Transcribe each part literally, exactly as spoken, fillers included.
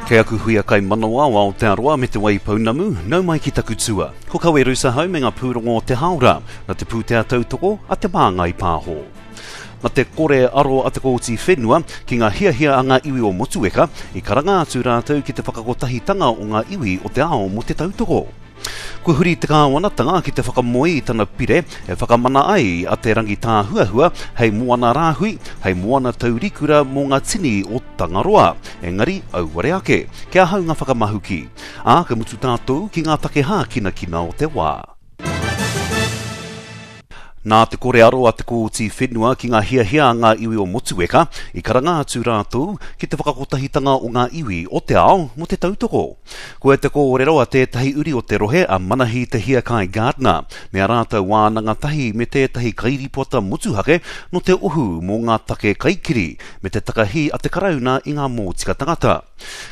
Kei aku huia kaimanawa o Aotearoa me Te Waipounamu, nau mai ki taku tua. Ko Kawe Rusa hau me ngā pūrongo o te haora, na te pūtea tautoko a Te Māngai Pāho. Na te kore aro a te kōti whenua ki ngā hiahia a ngā iwi o Motueka, i karanga atu rātou ki te whakakotahitanga o ngā iwi o te ao mō te tautoko. Kua huri te kāwanatanga ki te whakamoe i tana pire e whakamana ai a Te Rangitāhuahua hei moana rāhui, hei moana taurikura mō ngā tini o Tangaroa. Engari, auare ake, kia hau ngā whakamahuki. Ā, ka mutu tātou ki ngā take hākinakina o te wā. Nā te kore aro a te kōti whenua ki ngā hiahia a ngā iwi o Motueka, i karanga atu rātou ki te whakakotahitanga o ngā iwi o te ao mō te tautoko. Koe te kōrero a tētahi uri o te rohe a Manahi Te Hiakai Gardner, me a rātou wānanga tahi me tētahi kairipota motuhake no te ohu mō ngā take kaikiri, me te takahi a te Karauna i ngā mōtika tangata.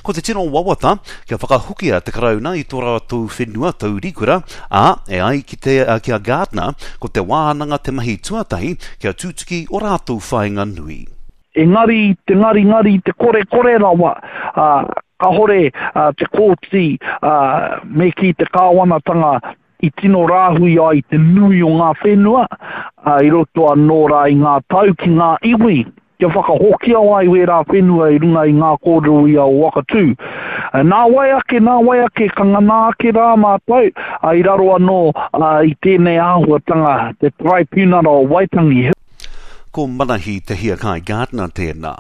Ko te tino wawata, kia whakahokia te Karauna i tō rātou whenua taurikura, ā, e ai ki, te, ki a Gardner, ko te wānanga te mahi tuatahi kia tutuki o rātou whāinga nui. Engari, te ngari ngari, te kore kore rawa, uh, kahore uh, te kōti uh, me ki te kāwanatanga i tino rāhui ai te nui o ngā whenua, uh, i roto anō rā i ngā tau ki ngā iwi, kia whakahokia ai wērā whenua i runga i ngā kōrero ia o Wakatū. Nā wai ake, nā wai ake, ka ngana ake rā mātou, i raro anō i tēnei āhuatanga, te Tribunal o Waitangi. Ko Manahi Te Hiakai Gardner tēnā.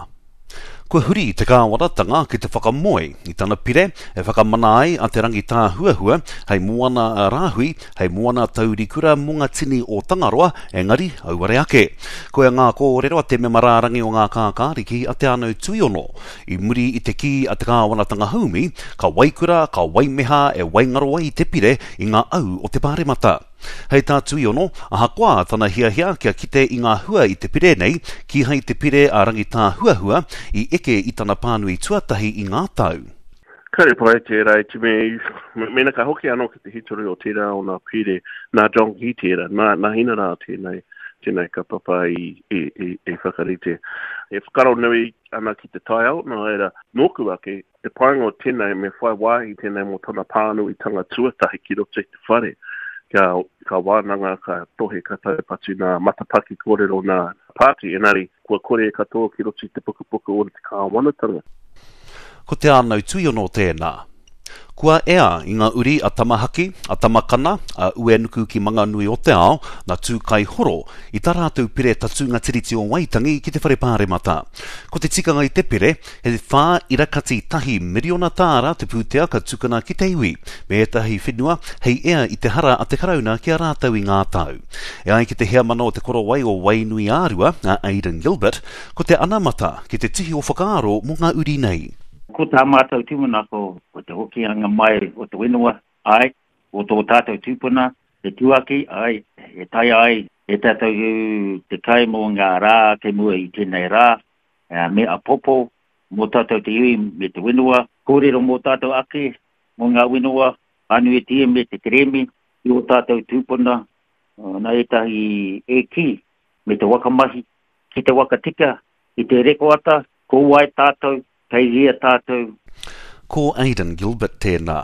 Kua huri te kāwanatanga ki te whakamoe i tana pire e whakamana ai a Te Rangitāhuahua hei moana rāhui, hei moana taurikura mō ngā tini o Tangaroa, engari auare ake. Koia ngā kōrero a te mema rārangi o ngā kākāriki a Te Anau Tuiono. I muri i te kī a te kāwanatanga haumi, ka waikura, ka waimeha e waingaro ai te pire i ngā au o te pāremata. Hei tā Tuiono, ahakoa tana hiahia kia kite i ngā hua i te pire nei, kīhai te pire a Rangitāhuahua i eke i tana pānui tuatahi i ngā tau. Kāre pai tērā i te me, mena ka hoki anō ki te hitori o tērā o nā pire, nā John Key tērā, nā, nā hina rā tēnei, tēnei kapapa i, i, i, i whakarite. E whakaro nui ana ki te taiao, nā reira, nōku ake, te painga o tēnei me whai wāhi tēnei mō tana pānuitanga tuatahi ki roto i te whare. Ka, ka wānanga, ka tohe, ka taupatu nā matapaki kōrero nā pāti, engari kua kore katoa ki roto i te pukupuku o te kāwanatanga. Ko Te Anau Tuiono tēnā. Kua ea i ngā uri a Tamahaki, a Tamakana, a Uenuku ki Manganui o te ao, nā Tūkaihoro, i tā rātou pire tatūnga Tiriti o Waitangi ki te whare pāremata. Ko te tikanga i te pire, he whā irakati tahi miriona tāra te pūtea ka tukuna ki te iwi, me ētahi whenua hei ea i te hara a te Karauna ki a rātou i ngā tau. E ai ki te heamana o te korowai o Wainui Ārua, a Aidan Gilbert, ko te anamata ki te tihi o whakaaro mō ngā uri nei. Ko tā mātou tūmanako, ko te hokianga mai o te whenua, ai, o tō tātou tūpuna, te tuaki, ai, e tai ai, e tātou te kai mō ngā rā ke mua i tēnei rā, me a popo, mō tātou te iwi me te whenua, kōrero mō tātou ake, mō ngā whenua, anuetia me te keremi, i o tātou tūpuna, nā ētahi e ki, me te wakamahi, ki te wakatika, i te rekoata, ko wai tātou, kei hea tātou. Ko Aidan Gilbert tēnā.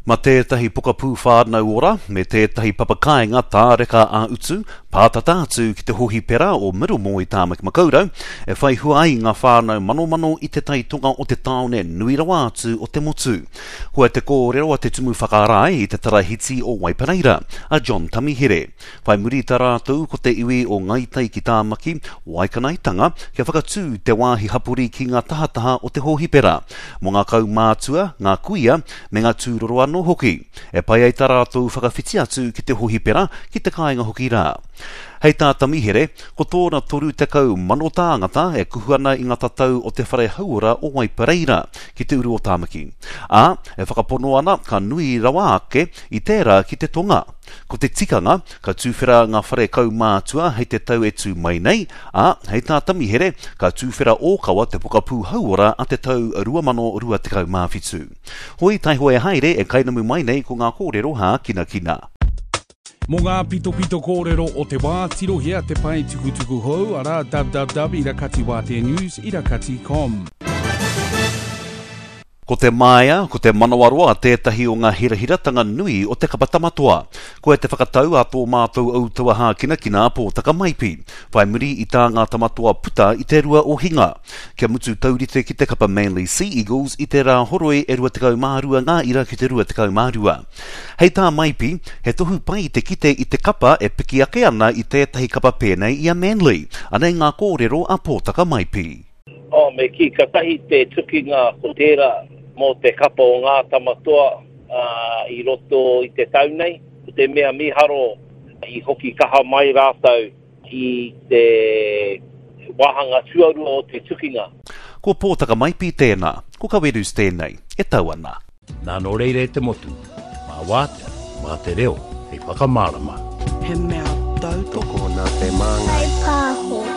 Ma tētahi pokapū whānau ora, me tētahi papakainga tāreka a utu, pātata atu ki te hohipera o Middlemore i Tāmaki Makaurau, e whai hua ai ngā whānau manomano i te taitonga o te tāone nui rawa atu o te motu. Koe te kōrero a te tumu whakarae i te tarahiti o Waipareira, a John Tamihere. Whai muri tā rātou ko te iwi o Ngāi Tai ki Tāmaki, Waikanaetanga, kia whakatū te wāhi hapori ki ngā tahataha o te hohipera. Mō ngā kaumātua, ngā kuia, me ngā tūroro anō hoki. E pai ai tā rātou whakawhiti atu ki te hohipera, ki te kāinga hoki rā. Hei tā Tamihere, ko tōna toru tekau mano tāngata e kuhu ana i ngā tatau o te whare hauora o Waipareira ki te uru o Tāmaki. Ā, e whakapono ana ka nui rawa ake i tērā ki te tonga. Ko te tikanga, ka tūwhera ngā whare kaumātua hei te tau e tū mai nei, ā, hei tā Tamihere, ka tūwhera ōkawa te pokapū hauora a te tau rua mano rua tekau mā whitu. Hoi taihoe haere e kainamu mai nei ko ngā kōrero hākinakina. Mō ngā pitopito kōrero o te wā, tirohia te pae tukutuku hou, arā www irakati wātea news irakati com. Ko te māia, ko te manawaroa tētahi o ngā hirahiratanga nui o te kapa Tamatoa. Koia te whakatau a tō mātou Outaua Hākinakina Pōtaka Maipi, whai muri i tā ngā Tamatoa puta i te rua o Hinga. Kia mutu taurite ki te kapa Manly Sea Eagles i te Rāhoroi e rua tekau mā rua ngā ira ki te rua tekau mā rua. Hei tā Maipi, he tohu pai te kite i te kapa e piki ake ana i tētahi kapa pēnei i a Manly. Anei ngā kōrero a Pōtaka Maipi. Oh, me kī, katahi te tukinga ko tērā mō te kapa o ngā Tamatoa i roto i te tau nei. Ko te mea mīharo i hoki kaha mai rātou i te wāhanga tuarua o te tukinga. Ko Pōtaka Maipi tēnā, ko Kawerus tēnei, e tau ana. Nā nō reira e te motu, mā wātea, mā te reo, hei whakamārama. He mea tautoko. Tokona te māngai. Whaipāho.